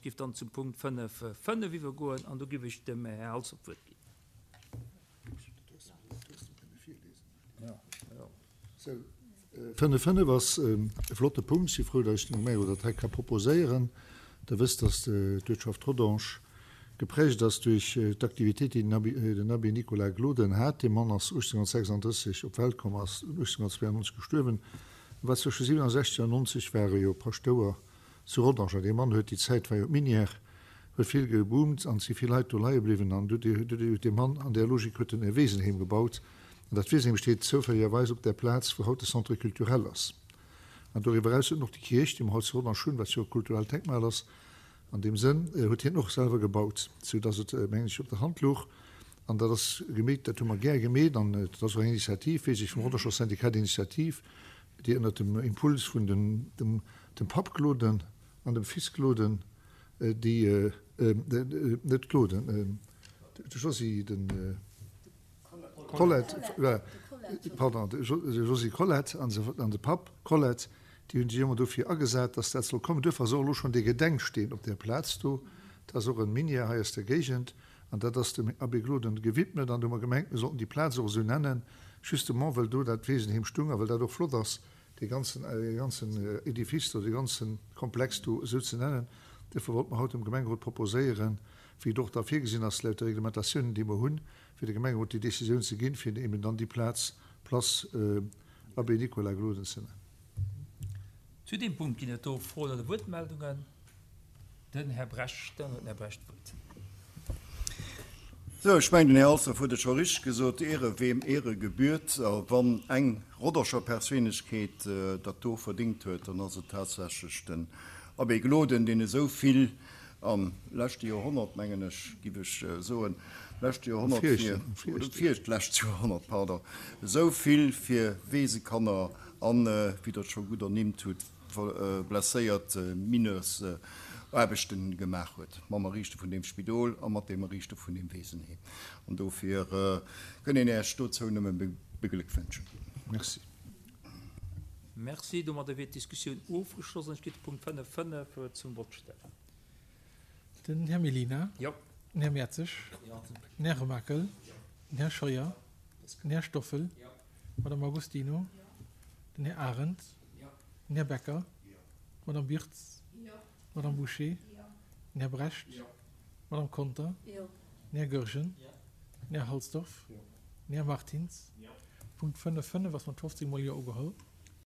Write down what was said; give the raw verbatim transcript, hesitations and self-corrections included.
géif dann zum Punkt fënnef fënnef iwwergoen an do géif ech dem Här Halsdorf d'Wuert ginn. Fënnef fënnef ass e flotte Punkt. Ech si frou, datt ech dem Gemengerot dat hei ka proposéieren. Der wësst, datt d'Uertschaft Rodange geprägt ass duerch d'Aktivitéit, déi den Abbé Nicolas Gloden hat. Dee Mann ass uechtzénhunnertsechsanddrësseg op d'Welt komm, ass uechtzénhunnertzweiannonzeg gestuerwen. E war zwësche siewenundsechzeg an nonzeg war e jo Paschtouer zu Rodange. An dee Mann huet, déi Zäit war jo d'Minière, huet vill geboomt an et si vill Leit do leie bliwwen. An du huet dee Mann an där Logik huet en e Wesenheem gebaut. An dat Wesenheem steet zoufälligerweis op där Plaz, wou haut de Centre culturel ass. An doriwwer eraus huet en och déi Kierch, déi mer haut zu Rodange hunn, wat jo e kulturellt Denkmal ass, an deem Sënn huet hien och selwer gebaut, soudass et, mengen ech, op der Hand louch. An dat ass gemeet, dat hu mer gär gemeet. An et ass och eng Initiativ, weess ech, vum Rodanger Syndicat d'initiative, déi ënnert dem Impuls vun dem dem Papp Gloden an dem Fils Gloden, déi, net Gloden, de Josy, de Colette, pardon, de Josy Colette an de Papp Colette, déi hunn sech ëmmer dofir agesat, dass dat soll kommen. Duerfir ass och elo schonn dee Gedenksteen op där Plaz do. Dat ass och en Minière hei aus der Géigend an dat ass dem Abbé Gloden gewidmet. An do hu mer gemengt, mir sollten déi Plaz och esou nennen, justement well do dat Wesenheem stung a well dat och flott ass, dee ganzen, dee ganzen Edifice do, dee ganzen Komplex do esou ze nennen. Duerfir wollte mer haut dem Gemengerot proposéieren, wéi et och da virgesinn ass laut de Reglementatiounen, déi mer hunn, fir de Gemengerot déi Décisioun ze ginn, fir eben dann déi Plaz Place Abbé Nicolas Gloden ze nennen. Zu deem Punkt ginn et do Froen oder Wuertmeldungen. Den Här Brecht, dann huet den Här Brecht d'Wuert. Sou, ech mengen, den Här Halsdorf huet et scho richteg gesot, Ehre wem Ehre gebührt. A wann eng Rodderscher Perséinlechkeet dat do verdéngt huet, dann ass et tatsächlech den Abbé Gloden, deen esou vill am leschte Joerhonnert, mengen ech, giff ech soen, leschte Joerhonnert fir, oder virlescht Joerhonnert, pardon, esou vill fir Weesekanner an, wéi Der et scho gutt ernimmt hutt, blesséiert Mineurs-Aarbechte gemaach huet, mam Erriichte vun deem Spidol a mat deem Erriichte vun deem Weesenheem. An dofir kënn een Äech dozou nëmme begléckwënschen. Merci. Merci. Domadder wier d'Diskussioun ofgeschloss an ech géif de Punkt fënnef fënnef zum Vott stellen. Den Här Mellina. Jo. Den Här Mertzig. Den Här Remakel. Den Här Scheuer. Den Här Stoffel. D'Madame Agostino. Den Här Arendt. Den Här Becker. D'Madame Birtz. D'Madame Bouché. Den Här Brecht. D'Madame Conter. Den Här Goergen. Den Här Halsdorf. Den Här Martins. Punkt fënnef fënnef ass mat fofzéng mol Jo ugeholl.